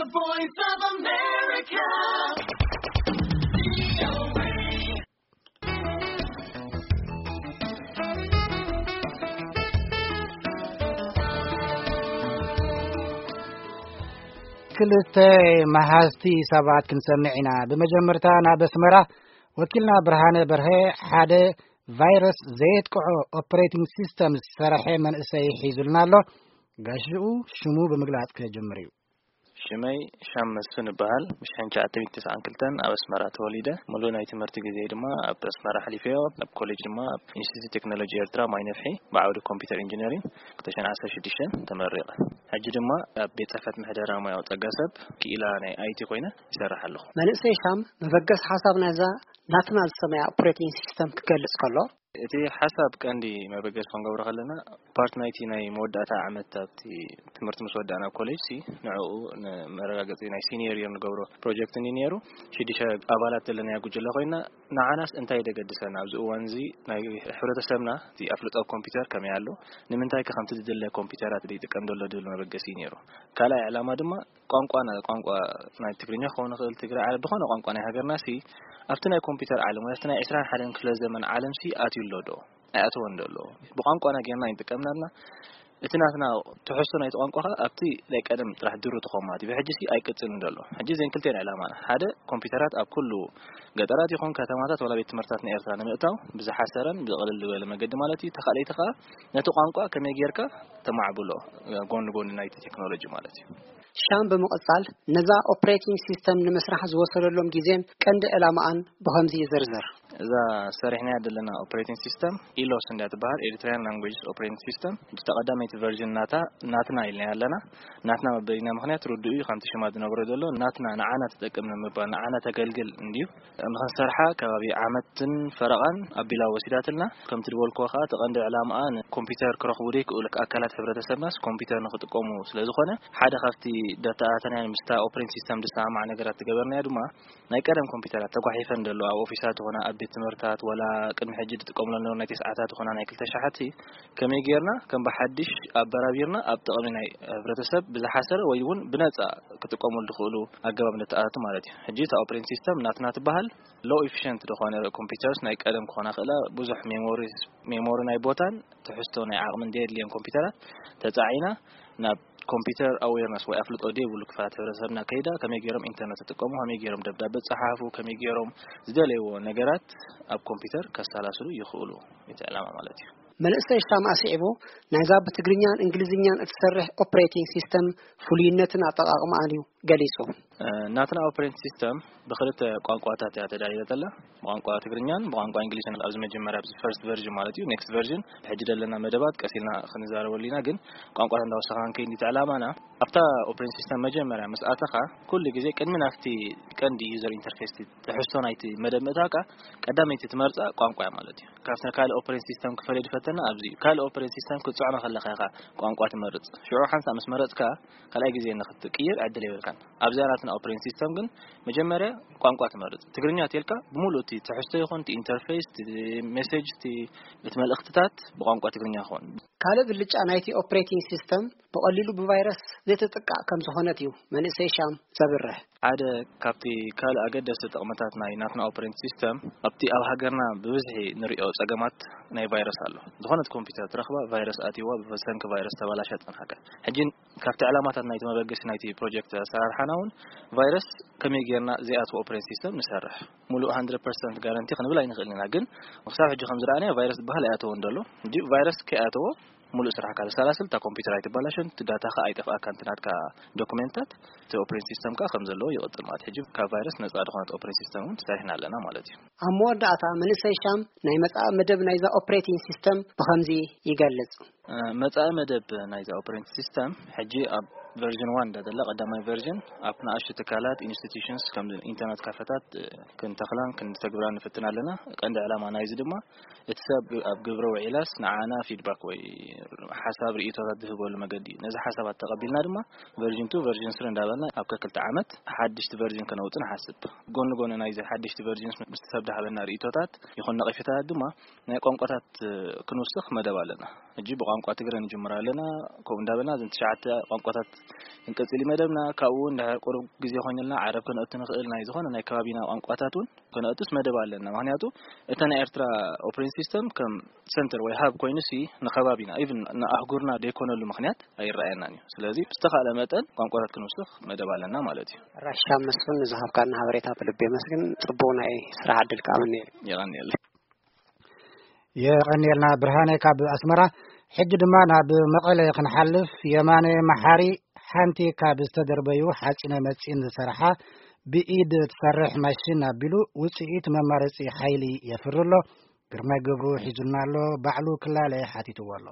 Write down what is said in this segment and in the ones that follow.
The Voice of America. ክልተ መሃዝቲ ሰባት ክንሰምዕ ኢና። ብመጀመርታ ናብ ኣስመራ ወኪልና ብርሃነ በርሀ ሓደ ቫይረስ ዘየጥቅዖ ኦፕሬቲንግ ሲስተም ዝሰረሐ መንእሰይ ሒዙልና ኣሎ። ጋሽኡ ሽሙ ብምግላጽ ክጀምር እዩ። ሽመይ ሻም መስፍን እበሃል። ብሽሕን ትሽዓተ ሚእትን ተስዓን ክልተን ኣብ ኣስመራ ተወሊደ። ሙሉእ ናይ ትምህርቲ ግዜ ድማ ኣብ ኣስመራ ኣሕሊፈዮ። ኣብ ኮሌጅ ድማ ኣብ ኢንስቲትዩት ቴክኖሎጂ ኤርትራ ማይ ነፍሒ ብዓውዲ ኮምፒውተር ኢንጂነሪንግ ክልተ ሽሕን ዓሰርተ ሽዱሽተን ተመሪቐ። ሕጂ ድማ ኣብ ቤት ጽሕፈት ምሕደራ ሙያዊ ጸጋ ሰብ ክኢላ ናይ ኣይቲ ኮይነ ይሰርሕ ኣለኹ። መንእሰይ ሻም መበገስ ሓሳብ ናይዛ ናትና ዝሰመያ ኦፕሬቲንግ ሲስተም ክገልጽ ከሎ፣ እቲ ሓሳብ ቀንዲ መበገሲ ክንገብሮ ከለና ፓርት ናይቲ ናይ መወዳእታ ዓመት ኣብቲ ትምህርቲ ምስ ወዳእና ኣብ ኮሌጅ ሲ ንዕኡ ንመረጋገፂ ናይ ሲኒየር ይር ንገብሮ ፕሮጀክት ኒ ነይሩ። ሽዱሽተ ኣባላት ዘለናያ ጉጅለ ኮይና ንዓናስ እንታይ ደገድሰና ኣብዚ እዋን እዚ ናይ ሕብረተሰብና እቲ ኣፍልጦ ኮምፒውተር ከመይ ኣሎ፣ ንምንታይ ከ ከምቲ ዝድለ ኮምፒውተራት ይጥቀም ዘሎ ድብል መበገሲ እዩ ነይሩ። ካልኣይ ዕላማ ድማ ቋንቋና ቋንቋ ናይ ትግርኛ ክኸውን ይኽእል ትግራይ ዓረብ ዝኾነ ቋንቋ ናይ ሃገርና ሲ ኣብቲ ናይ ኮምፒውተር ዓለም ወይ ኣብቲ ናይ ዕስራን ሓደን ክፍለ ዘመን ዓለም ሲ ኣትዩ ኣሎ ዶ ኣይኣተወን ዶ ኣሎ ብቋንቋና ጌርና ይንጥቀምና ኣለና። እቲ ናትና ትሕዝቶ ናይቲ ቋንቋ ከዓ ኣብቲ ናይ ቀደም ጥራሕ ድሩ ተኾማ እቲ ብሕጂ ሲ ኣይቅፅልን ዘሎ። ሕጂ ዘን ክልቴን ዕላማና ሓደ ኮምፒውተራት ኣብ ኩሉ ገጠራት ይኹን ከተማታት ወላ ቤት ትምህርታት ናይ ኤርትራ ንምእታው ብዝሓሰረን ብዝቕልል ዝበለ መገዲ ማለት እዩ። ተኻለይቲ ከዓ ነቲ ቋንቋ ከመይ ጌርካ ተማዕብሎ ጎኒ ጎኒ ናይቲ ቴክኖሎጂ ማለት እዩ። ሻም ብምቕጻል ነዛ ኦፕሬቲንግ ሲስተም ንምስራሕ ዝወሰደሎም ግዜን ቀንዲ ዕላማኣን ብኸምዚ ይዝርዝር። እዛ ሰሪሕናያ ዘለና ኦፕሬቲንግ ሲስተም ኢሎስ እንዳ ትበሃል ኤሪትሪያን ላንጉጅስ ኦፕሬቲንግ ሲስተም። እታ ቀዳመይቲ ቨርዥን ናታ ናትና ኢልና ኣለና። ናትና መበሊና ምክንያት ርዱእ እዩ። ከምቲ ሽማ ዝነግሮ ዘሎ ናትና ንዓና ትጠቅም ንምባል ንዓና ተገልግል እንድዩ። ንኽንሰርሓ ከባቢ ዓመትን ፈረቓን ኣቢላ ወሲዳትልና። ከምቲ ዝበልክዎ ከዓ እቲ ቀንዲ ዕላምኣ ንኮምፒውተር ክረኽቡ ዘይክእሉ ኣካላት ሕብረተሰብናስ ኮምፒውተር ንኽጥቀሙ ስለዝኾነ ሓደ ካብቲ ደተኣታትናያን ምስታ ኦፕሬቲንግ ሲስተም ዝሰማማዕ ነገራት ዝገበርናዮ ድማ ናይ ቀደም ኮምፒውተራት ተጓሒፈን ዘለዋ ኣብ ኦፊሳት ይኾና ኣብ ቤት ትምህርትታት ወላ ቅድሚ ሕጂ ዝጥቀምሎም ነበሩ ናይ ተስዓታት ይኾና ናይ ክልተ ሸሓቲ ከመይ ጌርና ከም ብሓድሽ ኣበራቢርና ኣብ ጥቕሚ ናይ ሕብረተሰብ ብዝሓሰረ ወይ እውን ብነፃ ክጥቀሙሉ ዝኽእሉ ኣገባብ ነተኣታቱ ማለት እዩ። ሕጂ እታ ኦፕሬቲንግ ሲስተም ናትና ትበሃል ሎ ኢፊሽንት ዝኾነ ኮምፒውተርስ ናይ ቀደም ክኾና ክእላ ብዙሕ ሜሞሪ ሜሞሪ ናይ ቦታን ትሕዝቶ ናይ ዓቕምን ዘየድልየን ኮምፒውተራት ተፃዒና ናብ ኮምፒውተር ኣዌርነስ ወይ ኣፍልጦ ዘይብሉ ክፋላት ሕብረተሰብና ከይዳ ከመይ ገይሮም ኢንተርነት ይጥቀሙ፣ ከመይ ገይሮም ደብዳበ ይፀሓፉ፣ ከመይ ገይሮም ዝደለይዎ ነገራት ኣብ ኮምፒውተር ከሰላስሉ ይኽእሉ እቲ ዕላማ ማለት እዩ። መንእሰይ ሻም ኣስዒቡ ናይዛ ብትግርኛን እንግሊዝኛን እትሰርሕ ኦፕሬቲንግ ሲስተም ፍሉይነትን ኣጠቓቕማኣን እዩ ገሊጹ። ናትና ኦፕሬቲንግ ሲስተም ብክልተ ቋንቋታት እያ ተዳልየት ዘላ። ብቋንቋ ትግርኛን ብቋንቋ እንግሊዝን ኣብዚ መጀመርያ ኣብዚ ፈርስት ቨርዥን ማለት እዩ። ኔክስት ቨርዥን ሕጂ ዘለና መደባት ቀሲልና ክንዛረበሉ ኢና። ግን ቋንቋታት እንዳወሰኻ ክንከይድ እቲ ዕላማና ኣብታ ኦፕሬቲንግ ሲስተም መጀመርያ ምስ ኣተኻ ኩሉ ግዜ ቅድሚ ናብቲ ቀንዲ ዩዘር ኢንተርፌስ ትሕዝቶ ናይቲ መደብ ምእታውካ ቀዳመይቲ ትመርፃ ቋንቋ እያ ማለት እዩ። ካብቲ ካልእ ኦፕሬቲንግ ሲስተም ክፈልዮ ዝፈተና ኣብዚ እዩ። ካልእ ኦፕሬቲንግ ሲስተም ክትፅዕኖ ከለኻ ኢኻ ቋንቋ ትመርፅ። ሽዑ ሓንሳእ ምስ መረፅካ ካልኣይ ግዜ ንክትቅይር ዕድል የብልካን። ኣብዚኣ ናትና ኦፕሬቲንግ ሲስተም ግን መጀመርያ ቋንቋ ትመርጽ። ትግርኛ ተልካ ብምሉእ እቲ ትሕዝቶ ይኹን እቲ ኢንተርፌስ፣ እቲ ሜሴጅ፣ እቲ እቲ መልእኽትታት ብቋንቋ ትግርኛ ይኹን። ካልእ ብልጫ ናይቲ ኦፕሬቲንግ ሲስተም ብቐሊሉ ብቫይረስ ዘይትጥቃዕ ከም ዝኾነት እዩ መንእሰይ ሻም ዘብርህ። ሓደ ካብቲ ካልእ ኣገደስቲ ጥቕምታት ናይ ናትና ኦፕሬቲንግ ሲስተም ኣብቲ ኣብ ሃገርና ብብዝሒ ንሪኦ ጸገማት ናይ ቫይረስ ኣሎ። ዝኾነት ኮምፒውተር ትረኽባ ቫይረስ ኣትይዋ ብሰንኪ ቫይረስ ተባላሻ ጸንሓካ። ሕጂ ካብቲ ዕላማታት ናይቲ መበገሲ ናይቲ ፕሮጀክት ኣሰራርሓና እውን ቫይረስ ከመይ ጌርና ዘይኣትዎ ኦፕሬቲንግ ሲስተም ንሰርሕ ሙሉእ hundred percent ጋረንቲ ክንብል ኣይንኽእልን ኢና። ግን ክሳብ ሕጂ ከም ዝረኣናዮ ቫይረስ ዝበሃል ኣይኣተወን ዘሎ። እንዲ ቫይረስ ከይኣተዎ ሙሉእ ስራሕካ ተሰላስል፣ እታ ኮምፒውተር ኣይትበላሸን፣ እቲ ዳታኻ ኣይጠፍኣካን፣ እቲ ናትካ ዶኩሜንታት፣ እቲ ኦፕሬቲንግ ሲስተምካ ከም ዘለዎ ይቕጽል ማለት። ሕጂ ካብ ቫይረስ ነጻ ዝኾነት ኦፕሬቲንግ ሲስተም እውን ሰሪሕና ኣለና ማለት እዩ። ኣብ መወዳእታ መንእሰይ ሻም ናይ መጻኢ መደብ ናይዛ ኦፕሬቲንግ ሲስተም ብኸምዚ ይገልጽ። መጻኢ መደብ ናይዛ ኦፕሬቲንግ ሲስተም ሕጂ ኣብ ቨርዥን ዋን እንዳ ዘላ ቀዳማይ ቨርዥን ኣብ ንኣሽቱ ትካላት ኢንስቲትዩሽንስ ከም ኢንተርነት ካፈታት ክንተኽላን ክንተግብራን ንፍትን ኣለና። ቀንዲ ዕላማ ናይዚ ድማ እቲ ሰብ ኣብ ግብረ ውዒላስ ንዓና ፊድባክ ወይ ሓሳብ ርእይቶታት ዝህበሉ መገዲ እዩ። ነዚ ሓሳባት ተቐቢልና ድማ ቨርዥን ቱ ቨርዥን ስሪ እንዳበልና ኣብ ከክልተ ዓመት ሓድሽቲ ቨርዥን ከነውጽእ ንሓስብ። ጎኒ ጎኒ ናይዚ ሓድሽቲ ቨርዥንስ ምስቲ ሰብ ዝሃበና ርእይቶታት ይኹን ነቒፌታታት ድማ ናይ ቋንቋታት ክንውስኽ መደብ ኣለና። ሕጂ ብቋንቋ ትግረ ንጅምር ኣለና። ከምኡ እንዳበልና እዘን ትሽዓተ ቋንቋታት ክንቅጽል እዩ መደብና። ካብኡ እውን ድሕሪ ቁሩብ ግዜ ኮይኑልና ዓረብ ከነእቱ ንኽእል፣ ናይ ዝኾነ ናይ ከባቢና ቋንቋታት እውን ከነእቱስ መደብ ኣለና። ምኽንያቱ እታ ናይ ኤርትራ ኦፕሬቲንግ ሲስተም ከም ሰንተር ወይ ሃብ ኮይኑሲ ንከባቢና፣ ኢቭን ንኣህጉርና ዘይኮነሉ ምኽንያት ኣይረኣየናን እዩ። ስለዚ ብዝተኻእለ መጠን ቋንቋታት ክንውስኽ መደብ ኣለና ማለት እዩ። ራሻ መስፍን፣ ንዝሃብካና ሓበሬታ ብልቢ የመስግን። ጽቡቕ ናይ ስራሕ ዕድል ከኣ እምነየልካ። የቐንየለይ። የቐንየልና ብርሃነ ካብ ኣስመራ። ሕጂ ድማ ናብ መቐለ ክንሓልፍ፣ የማነ መሓሪ ሓንቲ ካብ ዝተደርበዩ ሓፂነ መፂን ዝሰርሓ ብኢድ ትሰርሕ ማሽን ኣቢሉ ውፅኢት መማረፂ ሓይሊ የፍሪ ኣሎ። ግርማይ ገብሩ ሒዙና ኣሎ። ባዕሉ ክላለ ሓቲትዎ ኣሎ።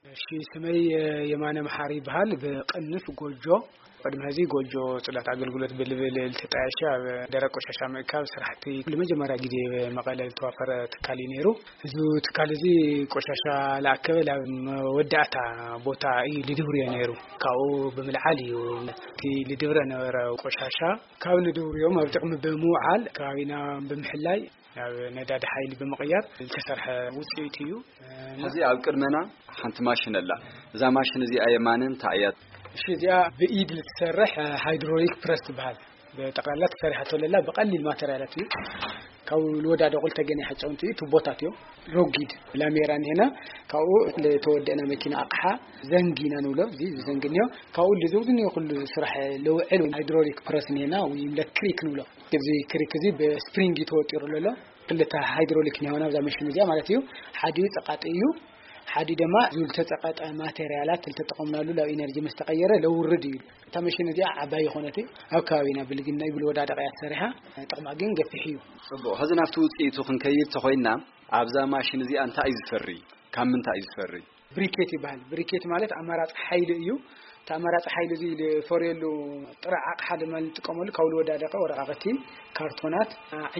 እሺ፣ ስመይ የማነ መሓሪ ይበሃል። ብቅንፍ ጎጆ፣ ቅድሚ ሕዚ ጎጆ ጽዳት ኣገልግሎት ብልብል ልተጣየሸ ኣብ ደረቅ ቆሻሻ ምእካብ ስራሕቲ ንመጀመርያ ግዜ መቐለ ዝተዋፈረ ትካል እዩ ነይሩ። እዚ ትካል እዚ ቆሻሻ ለኣከበ ናብ መወዳእታ ቦታ እዩ ልድብርዮ ነይሩ። ካብኡ ብምልዓል እዩ እቲ ልድብረ ነበረ ቆሻሻ ካብ ንድብርዮም ኣብ ጥቕሚ ብምውዓል ከባቢና ብምሕላይ ናብ ነዳዲ ሓይሊ ብምቕያር ዝተሰርሐ ውፅኢት እዩ። ሕዚ ኣብ ቅድመና ሓንቲ ማሽን ኣላ። እዛ ማሽን እዚኣ የማነ እንታይ እያ? እሺ፣ እዚኣ ብኢድ ልትሰርሕ ሃይድሮሊክ ፕረስ ትበሃል። ብጠቕላላ ተሰሪሓቶ ለላ ብቐሊል ማተርያላት እዩ። ካብ ልወዳደቑ ልተገነ ሓጨውንቲ እዩ፣ ቱቦታት እዮም። ሮጊድ ላሜራ እንሄና፣ ካብኡ ለተወደእና መኪና ኣቕሓ ዘንግ ኢና ንብሎ፣ እዚ ዘንግ እንዮ። ካብኡ ልዘውዝ እንዮ ኩሉ ስራሕ ለውዕል ሃይድሮሊክ ፕረስ እንሄና፣ ወይ ለክሪክ ንብሎ። እዚ ክሪክ እዚ ብስፕሪንግ እዩ ተወጢሩ ዘሎ። ክልተ ሃይድሮሊክ እንሄና ኣብዛ መሽን እዚኣ ማለት እዩ። ሓዲኡ ጸቃጢ እዩ፣ ሓዲኡ ድማ ዝብል ተጸቀጠ ማቴሪያላት ልተጠቐምናሉ ላብ ኢነርጂ ምስ ተቐየረ ለውርድ እዩ። እታ መሽን እዚኣ ዓባይ ይኾነት፣ ኣብ ከባቢና ብልግና ይብል ወዳደቕ እያ ተሰሪሓ፣ ጥቕማ ግን ገፊሕ እዩ። ጽቡቕ። ሕዚ ናብቲ ውጽኢቱ ክንከይድ ተኾይንና፣ ኣብዛ ማሽን እዚኣ እንታይ እዩ ዝፈሪ? ካብ ምንታይ እዩ ዝፈሪ? ብሪኬት ይበሃል። ብሪኬት ማለት ኣማራጺ ሓይሊ እዩ። እቲ ኣማራጺ ሓይሊ እዚ ዝፈርየሉ ጥረ ኣቕሓ ድማ ንጥቀመሉ፣ ካብ ዝወዳደቐ ወረቓቕቲ፣ ካርቶናት፣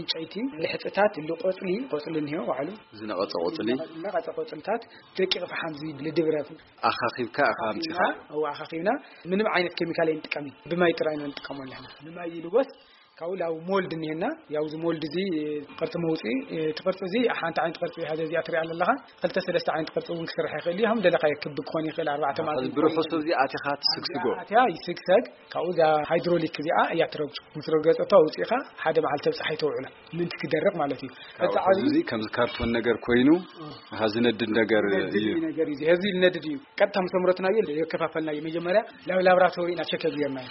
ዕንጨይቲ፣ ልሕጽታት፣ እሉ ቆጽሊ፣ ቆጽሊ እኒሆ ባዕሉ። ዝነቐጸ ቆጽሊ። ዝነቐጸ ቆጽልታት፣ ደቂቕ ፈሓም ዝብል ድብረ። ኣኻኺብካ ኢኻ ኣምጺኻ? እዋ ኣኻኺብና፣ ምንም ዓይነት ኬሚካል ኣይንጥቀምን። ብማይ ጥራይ ኢና ንጥቀመሉ ኣለና። ብማይ ይልወስ፣ ካብኡ ላው ሞልድ እኒሄና። ያው እዚ ሞልድ እዚ ቅርጺ መውጽኢ፣ እቲ ቅርጺ እዚ ሓንቲ ዓይነት ቅርጺ እያ። እዚኣ ትሪኣ ዘለኻ፣ ክልተ ሰለስተ ዓይነት ቅርጺ እውን ክስራሕ ይኽእል እዩ። ከም ደለኻዮ ክቢ ክኾን ይኽእል፣ ኣርባዕተ ማዕዘን ክኾን ብርሑሱ ይኽእል። እዚ ኣቲኻ ትስግስጎ። ኣቲያ ይስግሰግ። ካብኡ እዛ ሃይድሮሊክ እዚኣ እያ ትረግጾ። ምስ ረገጸቶ ኣውጺእኻ ሓደ መዓልቲ ኣብ ጸሓይ ተውዕሎ። ምእንቲ ክደርቕ ማለት እዩ። ካብኡ እቲ ዓብዪ እዚ ከምዚ ካርቶን ነገር ኮይኑ፣ ኣሃ፣ ዝነድድ ነገር ዝነድድ እዩ። ነገር እዩ። እዚ ዝነድድ እዩ። ቀጥታ ምስ ኣምረትናዮ የከፋፈልናዮ። መጀመርያ ላብ ላብራቶሪ ኢና ቸክ ጌርናዮ።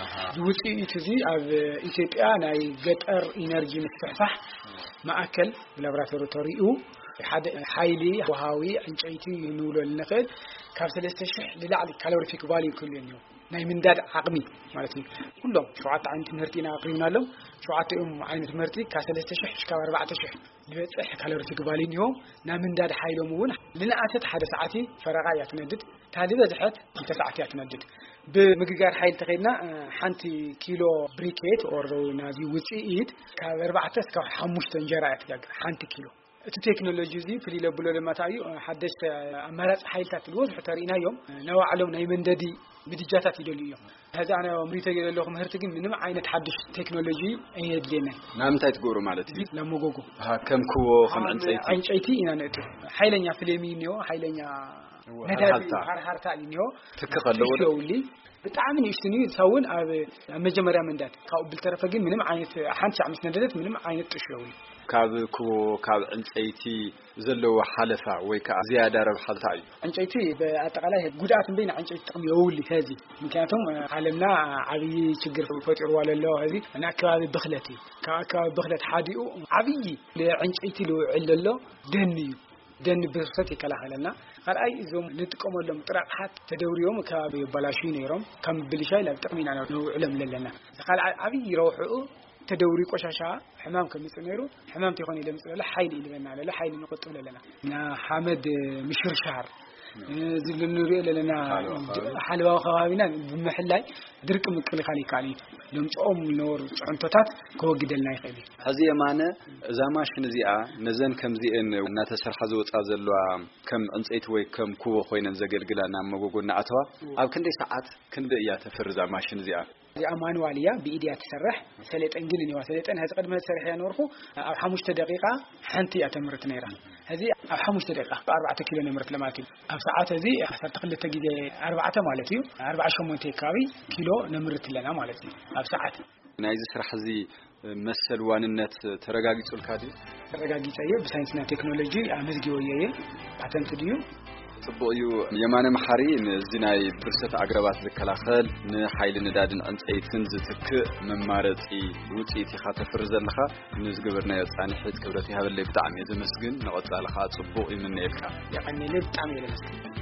ኣሃ። እዚ ውጽኢት እዚ ኣብ ኢትዮጵያ ናይ ገጠር ኢነርጂ ምስፍሕፋሕ ማእከል ብላብራቶሪ ተሪኡ ሓደ ሓይሊ ወሃዊ ዕንጨይቲ ንብሎ ንኽእል ካብ ሰለስተ ሽሕ ንላዕሊ ካሎሪፊክ ቫልዩ ክህልዮ እኒኦ። ናይ ምንዳድ ዓቕሚ ማለት እዩ። ኩሎም ሸውዓተ ዓይነት ምህርቲ ኢና ኣቕሪብናሎም። ሸውዓተ እዮም ዓይነት ምህርቲ ካብ ሰለስተ ሽሕ ክሳብ ኣርባዕተ ሽሕ ዝበጽሕ ካሎሪፊክ ቫልዩ እኒኦ። ናይ ምንዳድ ሓይሎም እውን ልንኣሰት ሓደ ሰዓት ፈረቓ እያ ትነድድ። እታ ዝበዝሐት ክልተ ሰዓት እያ ትነድድ። ብምግጋር ሓይሊ ተኸይድና፣ እ፣ ሓንቲ ኪሎ ብሪኬት ኦር ናዚ ውጽኢት ካብ ኣርባዕተ እስካብ ሓሙሽተ እንጀራ እያ ትጋግር፣ ሓንቲ ኪሎ። እቲ ቴክኖሎጂ እዚ ፍልይ ለብሎ ድማ እንታይ እዩ? ሓደሽቲ ኣማራጺ ሓይልታት ዝበዝሑ ተርኢናዮም፣ ናይ ባዕሎም ናይ መንደዲ ምድጃታት ይደልዩ እዮም። ሕዚ ኣነ ኣምሪቶ ዘለኹ ምህርቲ ግን ምንም ዓይነት ሓድሽ ቴክኖሎጂ ኣየድልየናይ። ንምንታይ ትገብሩ ማለት እዩ? እዚ ለመጎጎ። ኣሃ፣ ከም ክዎ፣ ከም ከም ዕንጨይቲ። ዕንጨይቲ ኢና ነእቱ። ሓይለኛ ፍሌም እዩ እኒኦ፣ ሓይለኛ እወ፣ ነዳዲ ሃርሃርታ። ሃርሃርታ እዩ እኒኦ። ትኪ ከለዎ ዶ? ጥሽ የውሊ። ብጣዕሚ ንእሽትን እዩ፣ ንሳ እውን ኣብ፣ ኣብ መጀመርያ መንዳድ። ካብኡ ብልተረፈ ግን ምንም ዓይነት ሓንቲ ሻዕ ምስ ነደደት ምንም ዓይነት ጥሽ የውሊ። ካብ ክቦ፣ ካብ ዕንጸይቲ ዘለዎ ሓለፋ ወይ ከኣ ዝያዳ ረብሓ እንታይ እዩ? ዕንጨይቲ ብኣጠቓላይ ጉድኣት እምበይ ንዕንጨይቲ ጥቕሚ የውሊ ኸዚ። ምክንያቱም ዓለምና ዓብዪ ችግር ፈጢርዋ ለሎ ኸዚ ናይ ኣከባቢ ብኽለት እዩ። ካብ ኣከባቢ ብኽለት ሓዲኡ ዓብዪ ንዕንጨይቲ ልውዕል ለሎ ደን እዩ። ደን ብርሰት ይከላኸለልና። ካልኣይ እዞም ንጥቀመሎም ጥረ ኣቕሓት ተደውርዮም ከባቢ የበላሽዩ ነይሮም። ከም ብልሻይ ናብ ጥቕሚ ኢና ነውዕሎም ለለና። ካልኣይ ዓብዪ ረብሕኡ ተደውሪ ቆሻሻ ሕማም ከምጽእ ነይሩ። ሕማም ተይኮነ ለምጽእ ለለ ሓይሊ እዩ ልበና ለለ ሓይሊ ንቆጥብ ለለና። እና ሓመድ ምሽርሻር፣ እዚ ንሪኦ ለለና ሓለዋ ከባቢ። ሓለዋ ከባቢና ብምሕላይ ድርቂ ምክልኻል ይከኣል እዩ። ለምጽኦም ዝነበሩ ጽዕንቶታት ከወግደልና ይኽእል እዩ። ሕዚ የማነ፣ እዛ ማሽን እዚኣ ነዘን ከምዚኤን እናተሰርሓ ዝወጻ ዘለዋ ከም ዕንጸይቲ ወይ ከም ኩቦ ኮይነን ዘገልግላ ናብ መጎጎ እናኣተዋ እዎ። ኣብ ክንደይ ሰዓት ክንደይ እያ ተፍሪ እዛ ማሽን እዚኣ? እዚኣ ማንዋል እያ፣ ብኢድያ ትሰርሕ። ሰሌጠን ግልን እዋ ሰሌጠን ሕዚ ቅድሚ ሕዚ ሰሪሐ እያ ነበርኩ። ኣብ ሓሙሽተ ደቂቃ ሓንቲ እያ ተምርት ነይራ። ሕዚ ኣብ ሓሙሽተ ደቂቃ ኣርባዕተ ኪሎ ነምርት ለማለት እዩ። ኣብ ሰዓት እዚ ዓሰርተ ክልተ ግዜ ኣርባዕተ ማለት እዩ፣ ኣርባዓ ሸሞንተ ከባቢ ኪሎ ነምርት ኣለና ማለት እዩ ኣብ ሰዓት። ናይዚ ስራሕ እዚ መሰል ዋንነት ተረጋጊጹልካ ድዩ? ተረጋጊጸ እየ፣ ብሳይንስና ቴክኖሎጂ ኣመዝጊቦ እየ። ፓተንት ድዩ? ጽቡቕ እዩ። የማነ መሓሪ፣ ንዚ ናይ ብርሰት ኣግራባት ዝከላኸል፣ ንሓይሊ ነዳድን ዕንጸይትን ዝትክእ መማረጺ ውጽኢት ኢኻ ተፍሪ ዘለኻ። ንዝገበርናዮ ጻንሒት ክብረት ይሃበለይ፣ ብጣዕሚ እየ ዘመስግን። ንቐጻሊ ኸኣ ጽቡቕ ይምነየልካ። የቐንየለይ፣ ብጣዕሚ እየ ዘመስግን።